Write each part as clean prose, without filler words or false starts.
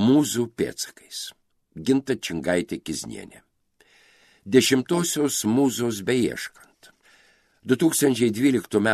Mūzų pėdsakais. Ginta Čingaitė Kiznienė. 10-osios mūzos beieškant. 2012 m.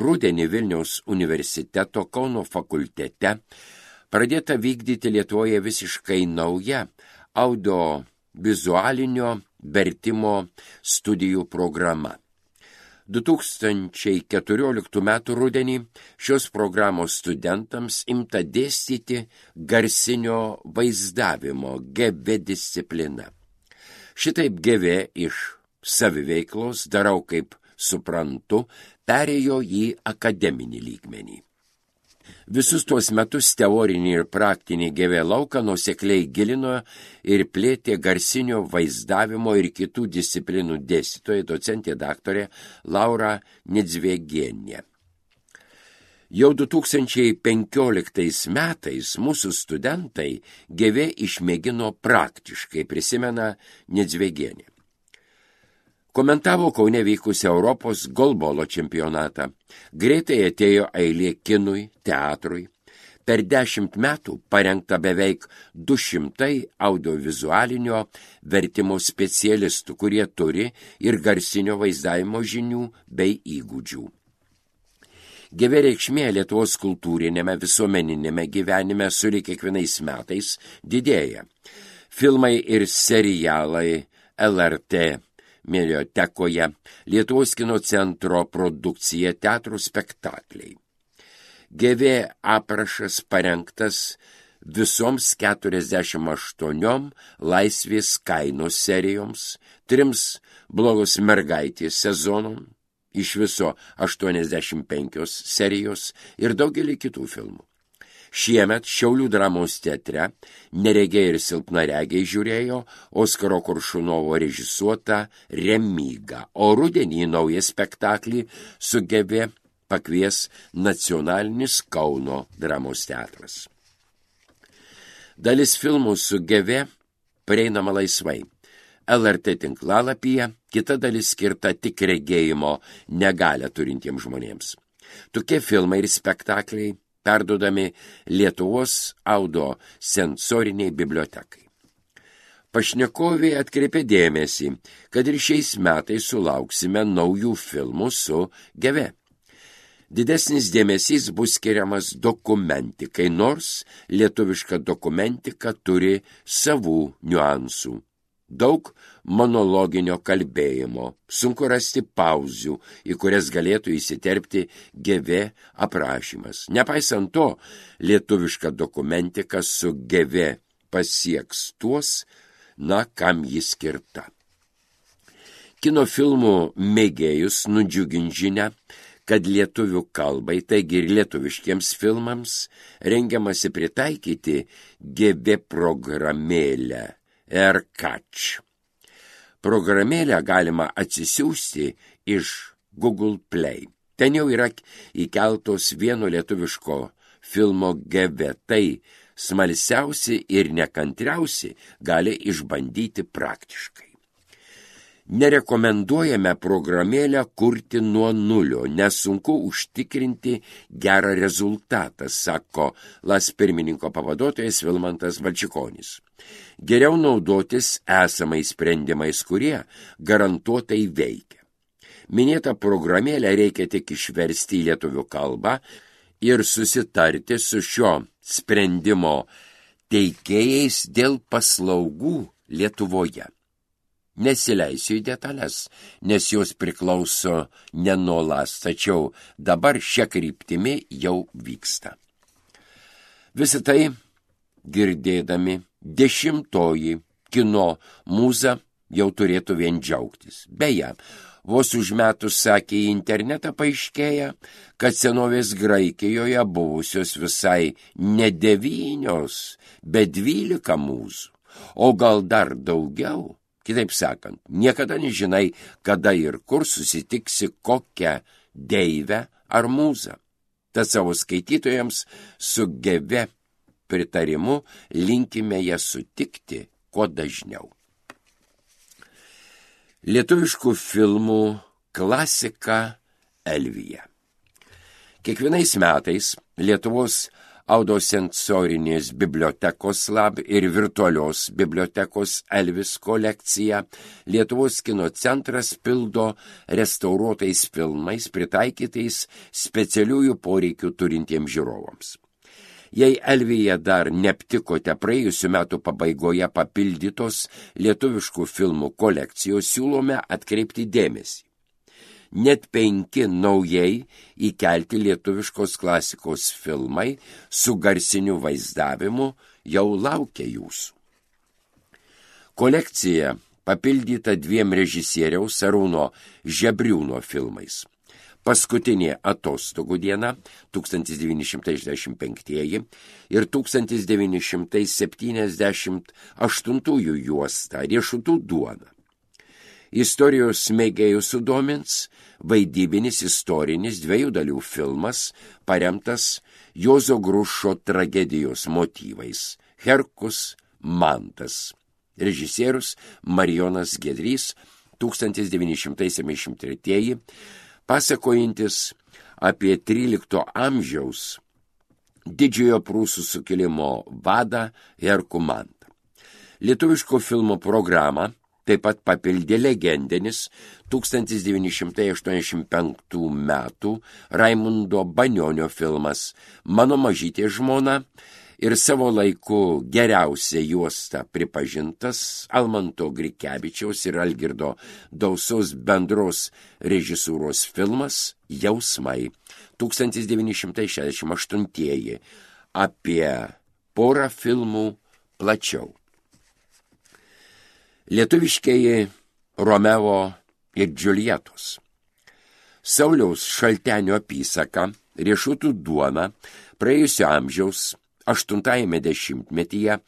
rudenį Vilniaus universiteto Kauno fakultete pradėta vykdyti Lietuvoje visiškai nauja audiovizualinio vertimo studijų programa. 2014 m. rudenį šios programos studentams imta dėstyti garsinio vaizdavimo GV disciplina. Šitaip GV iš saviveiklos, darau kaip suprantu, perėjo į akademinį lygmenį. Visus tuos metus teorinį ir praktinį GV lauką nuosekliai gilino ir plėtė garsinio vaizdavimo ir kitų disciplinų dėstytoja docentė daktarė Laura Nedzvegienė. Jau 2015 metais mūsų studentai GV išmėgino praktiškai, prisimena Nedzvegienė. Komentavo Kaune vykusią Europos golbolo čempionatą. Greitai atėjo eilė kinui, teatrui. Per 10 metų parengta beveik 200 audiovizualinio vertimo specialistų, kurie turi ir garsinio vaizdavimo žinių bei įgūdžių. GV reikšmė Lietuvos kultūrinėme visuomeninėme gyvenime sulig kiekvienais metais didėja. Filmai ir serialai LRT mediotekoje, Lietuvos kino centro produkcija, teatrų spektakliai. GV aprašas parengtas visoms 48 laisvės kainos serijoms, 3 blogos mergaitės sezonom, iš viso 85 serijos ir daugelį kitų filmų. Šiemet Šiaulių dramos teatre neregiai ir silpnaregiai žiūrėjo Oskaro Koršunovo režisuotą Remygą, o rudenį naują spektaklį su GV pakvies Nacionalinis Kauno dramos teatras. Dalis filmų su GV prieinama laisvai. LRT tinklalapyje, kita dalis skirta tik regėjimo negalią turintiems žmonėms. Tokie filmai ir spektakliai perduodami Lietuvos audio sensoriniai bibliotekai. Pašnekovė atkreipė dėmesį, kad ir šiais metais sulauksime naujų filmų su GV. Didesnis dėmesys bus skiriamas dokumentikai, nors lietuviška dokumentika turi savų niuansų. Daug monologinio kalbėjimo, sunku rasti pauzių, į kurias galėtų įsiterpti GV aprašymas. Nepaisant to, lietuviška dokumentika su GV pasieks tuos, kam jis skirta. Kino filmų mėgėjus nudžiugins žinia, kad lietuvių kalbai, taigi ir lietuviškiems filmams, rengiamasi pritaikyti GV programėlę AirCatch. Programėlę galima atsisiųsti iš Google Play. Ten jau yra įkeltos vieno lietuviško filmo GV. Tai smalsiausi ir nekantriausi gali išbandyti praktiškai. Nerekomenduojame programėlę kurti nuo nulio, nes sunku užtikrinti gerą rezultatą, sako LAS pirmininko pavaduotojas Vilmantas Valčikonis. Geriau naudotis esamais sprendimais, kurie garantuotai veikia. Minėtą programėlę reikia tik išversti į lietuvių kalbą ir susitarti su šio sprendimo teikėjais dėl paslaugų Lietuvoje. Nesileisiu į detalės, nes jos priklauso ne nuo LAS, tačiau dabar šia kryptimi jau vyksta. Visą tai girdėdami 10-oji kino mūza jau turėtų vien džiaugtis. Beje, vos užmetus sakė į internetą paaiškėja, kad senovės Graikijoje buvusios visai ne 9, bet 12 mūzų, o gal dar daugiau. Kitaip sakant, niekada nežinai, kada ir kur susitiksi kokią deivę ar mūzą. Tad savo skaitytojams su GV pritarimu linkime ją sutikti kuo dažniau. Lietuviškų filmų klasika Elvija. Kiekvienais metais Lietuvos Audosensorinės bibliotekos Lab ir virtualios bibliotekos Elvis kolekciją Lietuvos kino centras pildo restauruotais filmais pritaikytais specialiųjų poreikių turintiems žiūrovams. Jei Elvyje dar neaptikote praėjusių metų pabaigoje papildytos lietuviškų filmų kolekcijos, siūlome atkreipti dėmesį. Net 5 naujai įkelti lietuviškos klasikos filmai su garsiniu vaizdavimu jau laukia jūsų. Kolekcija papildyta 2 režisieriaus Arūno Žebriūno filmais. Paskutinė atostogų diena 1965 ir 1978 juosta Riešutų duona. Istorijos mėgėjus sudomins vaidybinis istorinis 2 dalių filmas, paremtas Juozo Grušo tragedijos motyvais Herkus Mantas. Režisierius Marijonas Giedrys 1973, pasakojantis apie 13 amžiaus didžiojo prūsų sukilimo vadą Herkų Mantą. Lietuviško filmo programą taip pat papildė legendinis 1985 metų Raimundo Banionio filmas Mano mažytė žmona ir savo laiku geriausia juosta pripažintas Almanto Grikevičiaus ir Algirdo Dausos bendros režisūros filmas Jausmai 1968 apie porą filmų plačiau. Lietuviškieji Romeo ir Džiuljetos. Sauliaus Šaltenio apysaka Riešutų duona praėjusio amžiaus 8-ame dešimtmetyje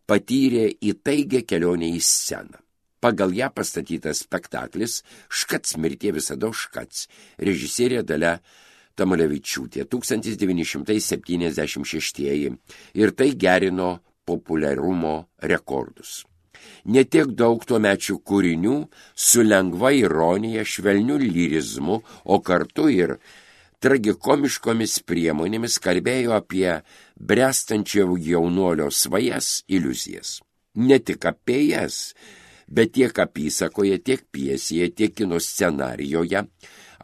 patyrė įtaigę kelionę į sceną. Pagal ją pastatytas spektaklis Škac mirtie visada Škac, režisierė Dalia Tamulevičiūtė 1976 ir tai gerino populiarumo rekordus. Netiek daug tuomečių kūrinių su lengva ironija, švelniu lyrizmu, o kartu ir tragikomiškomis priemonėmis kalbėjo apie bręstančio jaunuolio svajas, iliuzijas. Ne tik apie jas, bet tiek apysakoje, tiek pjesėje, tiek kino scenarijoje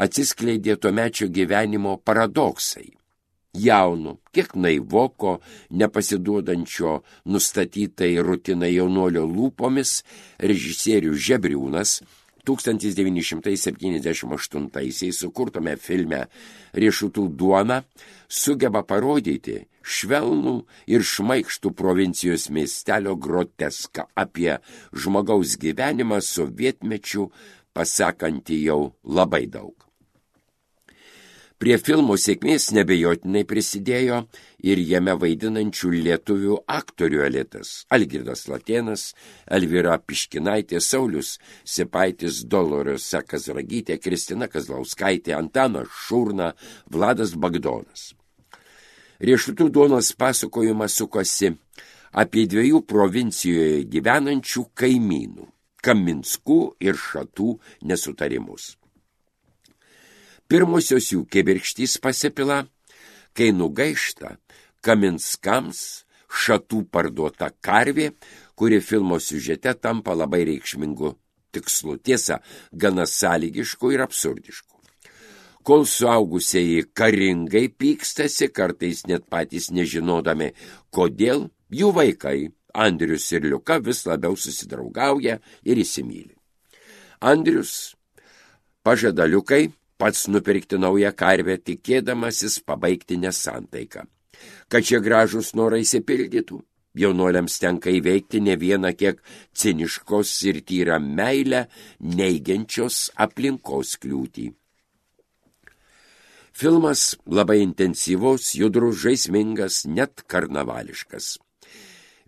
atsiskleidė tuomečio gyvenimo paradoksai. Jaunu, kiek naivoko, nepasiduodančio nustatytai rutinai jaunuolio lūpomis, režisierius Žebriūnas 1978 sukurtame filme Riešutų duona sugeba parodyti švelnų ir šmaikštų provincijos miestelio groteską apie žmogaus gyvenimą sovietmečiu, pasakantį jau labai daug. Prie filmo sėkmės nebejotinai prisidėjo ir jame vaidinančių lietuvių aktorių elitas Algirdas Latėnas, Elvyra Piškinaitė, Saulius Sipaitis, Doloriosa Kazragytė, Kristina Kazlauskaitė, Antanas Šurna, Vladas Bagdonas. Riešutų duonos pasakojimas sukosi apie 2 provincijoje gyvenančių kaimynų Kaminskų ir Šatų nesutarimus. Pirmosios jų kibirkštys pasipila, kai nugaišta Kaminskams Šatų parduota karvė, kuri filmo siužete tampa labai reikšmingu tikslu, tiesa, gana sąlygišku ir absurdišku. Kol suaugusieji karingai pykstasi, kartais net patys nežinodami, kodėl, jų vaikai, Andrius ir Liuka, vis labiau susidraugauja ir įsimyli. Andrius pažada Liukai pats nupirkti naują karvę, tikėdamasis pabaigti nesantaiką. Kad šie gražūs norai išsipildytų, jaunuoliams tenka įveikti ne vieną kiek ciniškos ir tyrą meilę neigiančios aplinkos kliūtį. Filmas labai intensyvus, judrus, žaismingas, net karnavališkas.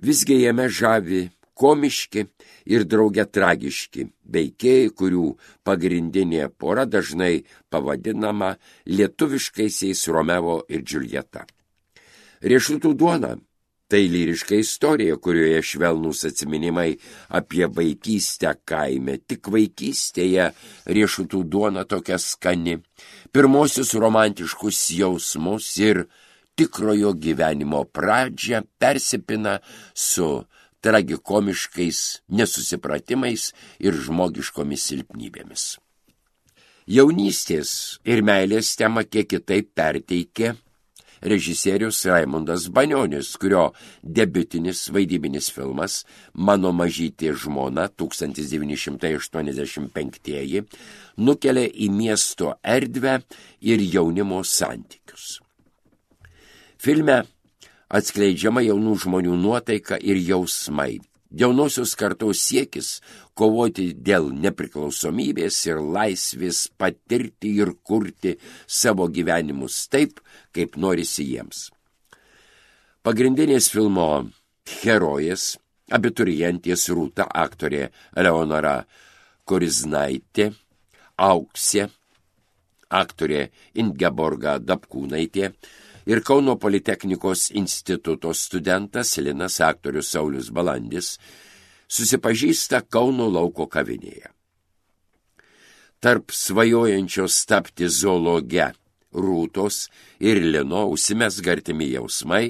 Visgi jame žavi komiški ir drauge tragiški veikėjai, kurių pagrindinė pora dažnai pavadinama lietuviškaisiais Romeo ir Džiuljeta. Riešutų duona – tai lyriška istorija, kurioje švelnūs atsiminimai apie vaikystę kaime. Tik vaikystėje riešutų duona tokia skani, pirmosius romantiškus jausmus ir tikrojo gyvenimo pradžią, persipina su tragikomiškais nesusipratimais ir žmogiškomis silpnybėmis. Jaunystės ir meilės temą kiek kitaip perteikė režisierius Raimundas Banionis, kurio debiutinis vaidybinis filmas Mano mažytė žmona 1985 nukelia į miesto erdvę ir jaunimo santykius. Filme atskleidžiama jaunų žmonių nuotaika ir jausmai. Jaunosios kartos siekis kovoti dėl nepriklausomybės ir laisvės, patirti ir kurti savo gyvenimus taip, kaip norisi jiems. Pagrindinės filmo herojės, abiturientės Rūta, aktorė Eleonora Koriznaitė, Auksė, aktorė Ingeborga Dapkūnaitė ir Kauno Politechnikos instituto studentas Linas, aktorius Saulius Balandis, susipažįsta Kauno lauko kavinėje. Tarp svajojančios tapti zoologe Rūtos ir Lino užsimezga artimi jausmai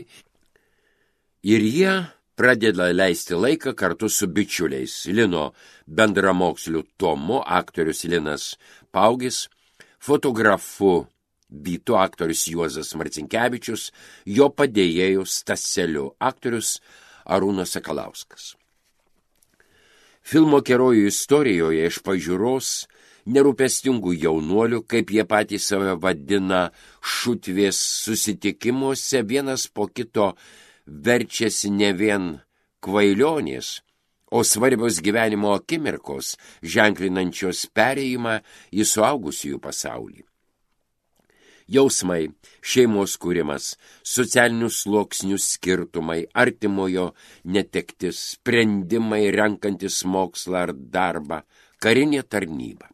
ir jie pradeda leisti laiką kartu su bičiuliais. Lino bendramoksliu Tomu, aktorius Linas Paugis, fotografu Vytu, aktorius Juozas Marcinkevičius, jo padėjėjų Staseliu, aktorius Arūnas Sakalauskas. Filmo herojų istorijoje iš pažiūros nerūpestingų jaunuolių, kaip jie patys save vadina, šutvės susitikimuose vienas po kito verčiasi ne vien kvailionės, o svarbios gyvenimo akimirkos, ženklinančios perėjimą į suaugusiųjų pasaulį. Jausmai, šeimos kūrimas, socialinių sluoksnių skirtumai, artimojo netektis, sprendimai renkantis mokslą ar darbą, karinė tarnyba.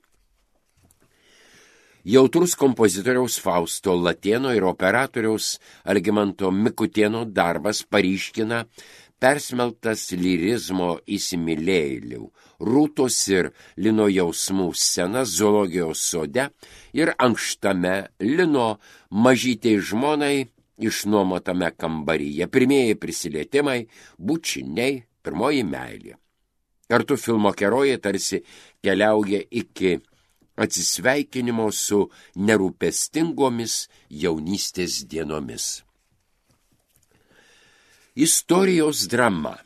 Jautrus kompozitoriaus Fausto Latėno ir operatoriaus Algimanto Mikutėno darbas paryškina persmeltas lirizmo įsimylėjėlių, Rūtos ir Lino jausmų scenas zoologijos sode ir ankštame Lino mažytei žmonai išnuomotame kambaryje. Pirmieji prisilietimai, bučiniai, pirmoji meilė. Kartu filmo herojai tarsi keliauja iki atsisveikinimo su nerūpestingomis jaunystės dienomis. Istorijos drama.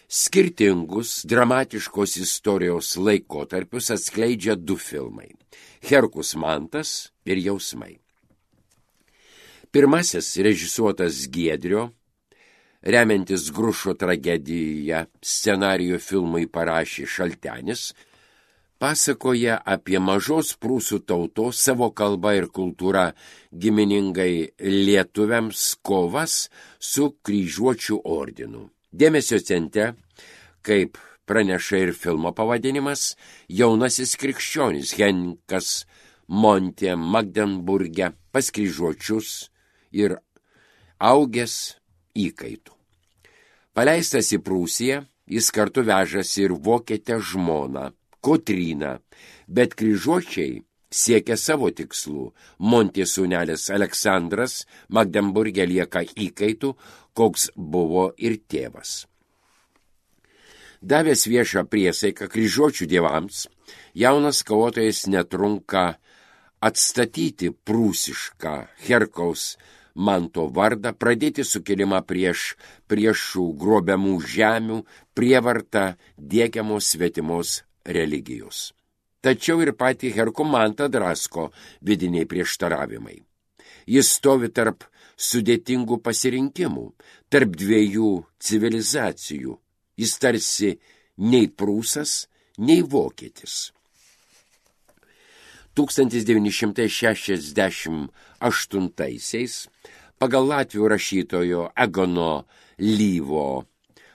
Skirtingus dramatiškos istorijos laikotarpius atskleidžia du filmai – Herkus Mantas ir Jausmai. Pirmasis, režisuotas Giedrio, remiantis Grušo tragediją, scenarijų filmui parašė Šaltenis, pasakoja apie mažos prūsų tautos savo kalba ir kultūra giminingai lietuviams kovas su kryžiuočių ordinu. Dėmesio centre, kaip praneša ir filmo pavadinimas, jaunasis krikščionis Henrikas Montė Magdenburge pas kryžiuočius ir augęs įkaitų. Paleistas į Prūsiją, jis kartu vežasi ir vokietę žmoną Kotryną, bet kryžiuočiai siekia savo tikslų. Montės sūnelis Aleksandras Magdenburge lieka įkaitų, koks buvo ir tėvas. Davęs viešą priesaiką kryžiuočių dievams, jaunas kovotojas netrunka atstatyti prūsišką Herkaus Manto vardą, pradėti sukilimą prieš priešų grobiamų žemių, prievartą diegiamos svetimos religijos. Tačiau ir patį Herkumantą drasko vidiniai prieštaravimai. Jis stovi tarp sudėtingų pasirinkimų, tarp dviejų civilizacijų. Jis tarsi nei prūsas, nei vokietis. 1968 pagal latvių rašytojo Egono Lyvo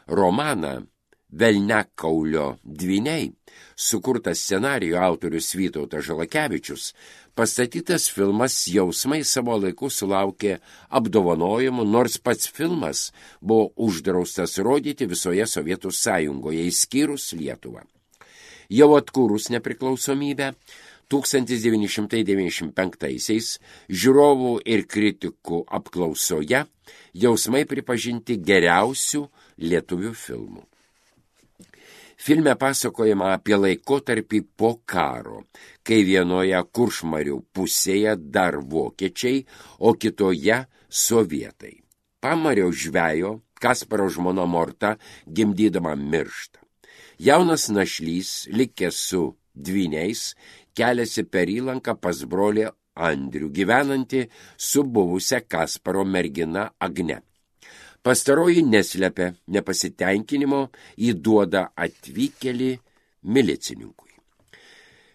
romaną Velniakaulio dvyniai, sukurtas scenarijų autorius Vytautas Žalakevičius, pastatytas filmas Jausmai savo laiku sulaukė apdovanojimų, nors pats filmas buvo uždraustas rodyti visoje Sovietų Sąjungoje, išskyrus Lietuvą. Jau atkūrus nepriklausomybę, 1995-aisiais žiūrovų ir kritikų apklausoje Jausmai pripažinti geriausių lietuvių filmų. Filme pasakojama apie laikotarpį po karo, kai vienoje Kuršmarių pusėje dar vokiečiai, o kitoje sovietai. Pamario žvejo Kasparo žmona Morta gimdydama miršta. Jaunas našlys, likęs su dvyniais, keliasi per įlanką pas brolį Andrių, gyvenantį su buvusia Kasparo mergina Agne. Pastaroji neslepia nepasitenkinimo, įduoda atvykėlį milicininkui.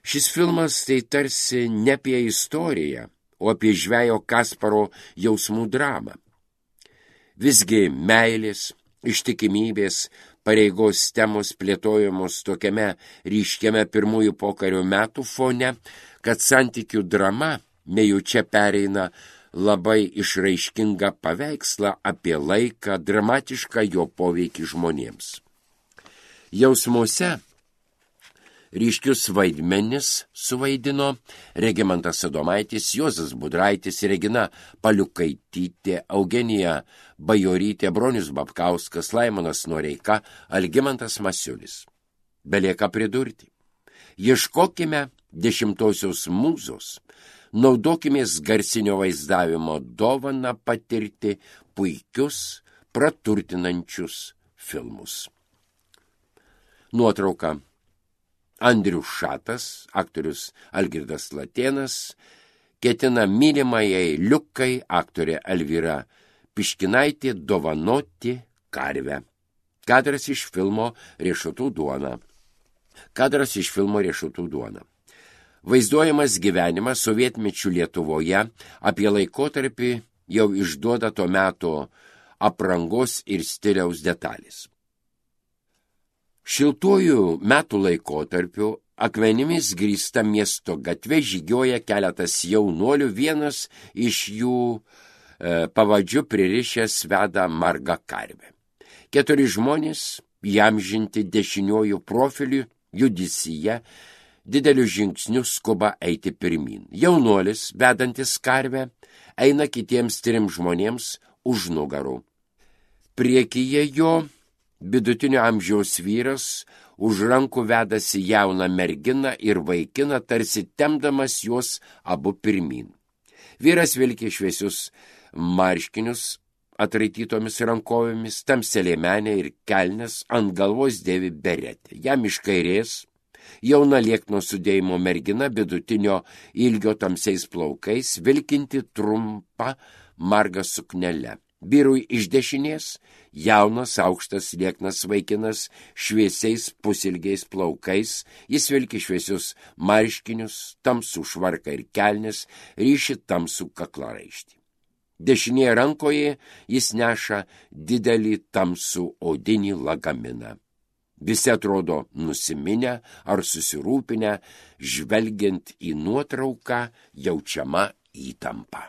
Šis filmas tai tarsi ne apie istoriją, o apie žvejo Kasparo jausmų dramą. Visgi meilės, ištikimybės, pareigos temos plėtojamos tokiame ryškiame pirmųjų pokario metų fone, kad santykių drama nejučia pereina labai išraiškingą paveikslą apie laiką, dramatišką jo poveikį žmonėms. Jausmuose ryškius vaidmenis suvaidino Regimantas Adomaitis, Juozas Budraitis, Regina Paliukaitytė, Eugenija Bajorytė, Bronius Babkauskas, Laimonas Noreika, Algimantas Masiulis. Belieka pridurti. Ieškokime 10-osios mūzos, naudokimės garsinio vaizdavimo dovaną patirti puikius, praturtinančius filmus. Nuotrauka. Andrius Šatas, aktorius Algirdas Latėnas, ketina mylimajai Liukai, aktorė Elvyra Piškinaitė, dovanoti karvę. Kadras iš filmo Riešutų duona. Vaizduojamas gyvenimas sovietmečių Lietuvoje apie laikotarpį jau išduoda to meto aprangos ir stiliaus detalės. Šiltuoju metų laikotarpiu akmenimis grįsta miesto gatve žygioja keletas jaunuolių, vienas iš jų pavadžiu pririšęs veda margą karvę. 4 žmonės, įamžinti dešiniuoju profiliu, judisyje, dideliu žingsniu skuba eiti pirmyn. Jaunuolis, vedantis karvę, eina kitiems 3 žmonėms už nugarų. Priekyje jo vidutinio amžiaus vyras už rankų vedasi jauną merginą ir vaikiną, tarsi tempdamas juos abu pirmyn. Vyras vilki šviesius marškinius atraitytomis rankovėmis, tamsią liemenę ir kelnes, ant galvos dėvi beretę. Jam iš kairės jauna liekno sudėjimo mergina vidutinio ilgio tamsiais plaukais, vilkinti trumpą margą suknelę. Vyrui iš dešinės jaunas, aukštas, lieknas vaikinas šviesiais pusilgiais plaukais, jis vilki šviesius marškinius, tamsų švarką ir kelnes, ryši tamsų kaklaraištį. Dešinėje rankoje jis neša didelį tamsų odinį lagaminą. Visi atrodo nusiminę ar susirūpinę, žvelgiant į nuotrauką jaučiama įtampa.